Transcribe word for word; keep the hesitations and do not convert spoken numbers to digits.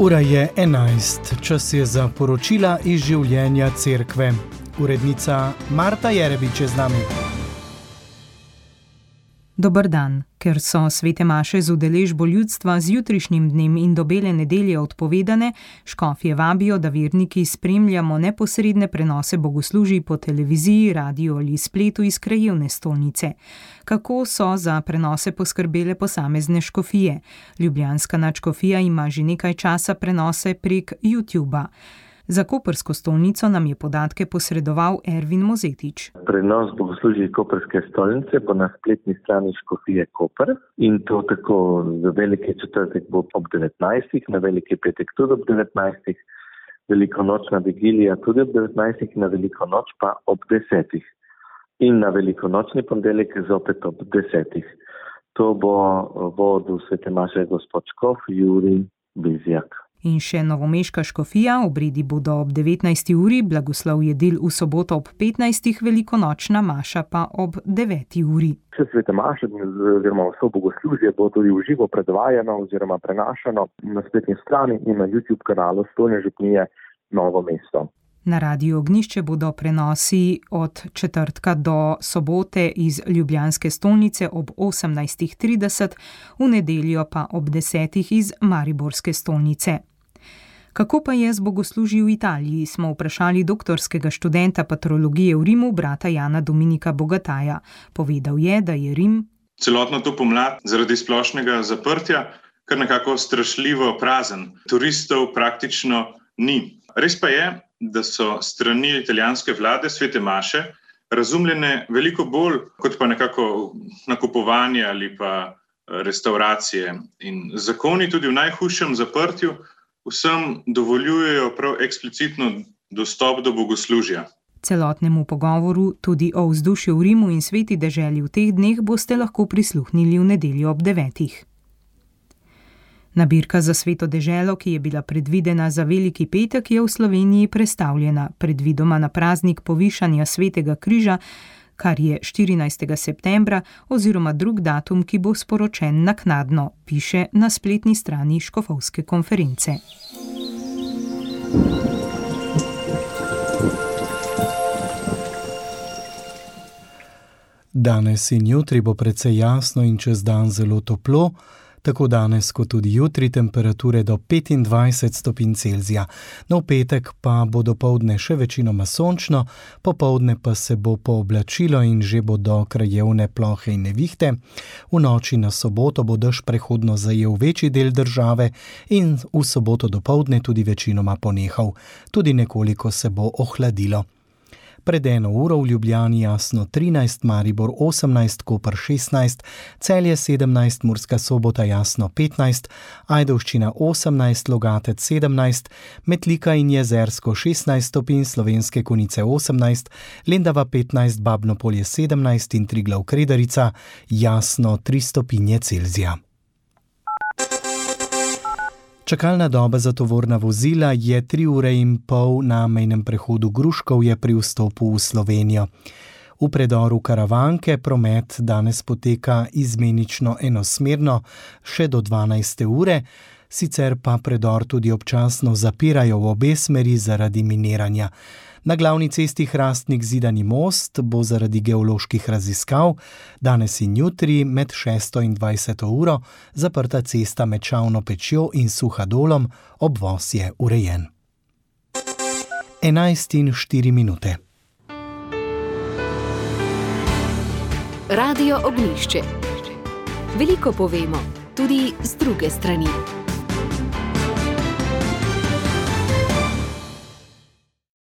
Ura je enajst, čas je za poročila iz življenja cerkve. Urednica Marta Jerebič je z nami. Dober dan. Ker so svete maše z udeležbo ljudstva z jutrišnjim dnem in do bele nedelje odpovedane, škofje vabijo, da verniki spremljamo neposredne prenose bogoslužij po televiziji, radiju ali spletu iz krajevne stolnice. Kako so za prenose poskrbele posamezne škofije? Ljubljanska nadškofija ima že nekaj časa prenose prek YouTuba. Za koprsko stolnico nam je podatke posredoval Ervin Mozetič. Prenos bogoslužij koprske stolnice bo na spletni strani škofije Koper in to tako za veliki četrtek bo ob devetnajstih, na veliki petek tudi ob devetnajstih, velikonočna vigilija tudi ob devetnajstih, na veliko noč pa ob desetih in na velikonočni ponedeljek zopet ob desetih. To bo vodil svete maše gospod škof Jurij Bizjak. In še novomeška škofija, obredi bodo ob devetnajsti uri, blagoslov jedil v soboto ob petnajstih, velikonočna maša pa ob deveti uri. Vse svete maše oziroma vso bogoslužje bo tudi v živo predvajano oziroma prenašano na spletni strani in na YouTube kanalu Stolne župnije Novo mesto. Na Radiu Ognjišče bodo prenosi od četrtka do sobote iz ljubljanske stolnice ob osemnajstih trideset, v nedeljo pa ob desetih iz mariborske stolnice. Kako pa je z bogoslužji v Italiji, smo vprašali doktorskega študenta patrologije v Rimu, brata Jana Dominika Bogataja. Povedal je, da je Rim celotno to pomlad zaradi splošnega zaprtja kar nekako strašljivo prazen. Turistov praktično ni. Res pa je, da so strani italijanske vlade svete maše razumljene veliko bolj kot pa nekako nakupovanje ali pa restauracije. In zakoni tudi v najhujšem zaprtju vsem dovoljujejo prav eksplicitno dostop do bogoslužja. Celotnemu pogovoru tudi o vzdušju v Rimu in sveti deželi v teh dneh boste lahko prisluhnili v nedeljo ob devetih. Nabirka za sveto deželo, ki je bila predvidena za veliki petek, je v Sloveniji prestavljena, predvidoma na praznik povišanja svetega križa, kar je štirinajstega septembra oziroma drug datum, ki bo sporočen naknadno, piše na spletni strani škofovske konference. Danes in jutri bo precej jasno in čez dan zelo toplo, tako danes kot tudi jutri temperature do petindvajset stopinj Celzija. No, v petek pa bo dopoldne še večinoma sončno, popoldne pa se bo pooblačilo in že bodo krajevne plohe in nevihte. V noči na soboto bo dež prehodno zajel večji del države in v soboto dopoldne tudi večinoma ponehal. Tudi nekoliko se bo ohladilo. Pred eno uro v Ljubljani jasno trinajst, Maribor osemnajst, Koper šestnajst, Celje sedemnajst, Murska Sobota jasno petnajst, Ajdovščina osemnajst, Logatec sedemnajst, Metlika in Jezersko šestnajst stopinj, Slovenske Konjice osemnajst, Lendava petnajst, Babnopolje sedemnajst in Triglav Kredarica jasno tri stopinje Celzija. Čakalna doba za tovorna vozila je tri ure in pol na mejnem prehodu Gruškovje pri vstopu v Slovenijo. V predoru Karavanke promet danes poteka izmenično enosmerno še do dvanajste ure, sicer pa predor tudi občasno zapirajo v obe smeri zaradi miniranja. Na glavni cesti Hrastnik-Zidani most bo zaradi geoloških raziskav danes in jutri med šesto in dvajseto uro zaprta cesta med Čavno pečjo in Suhadolom, obvoz je urejen. enajst in štiri minute. Radio Ognjišče. Veliko povemo, tudi z druge strani.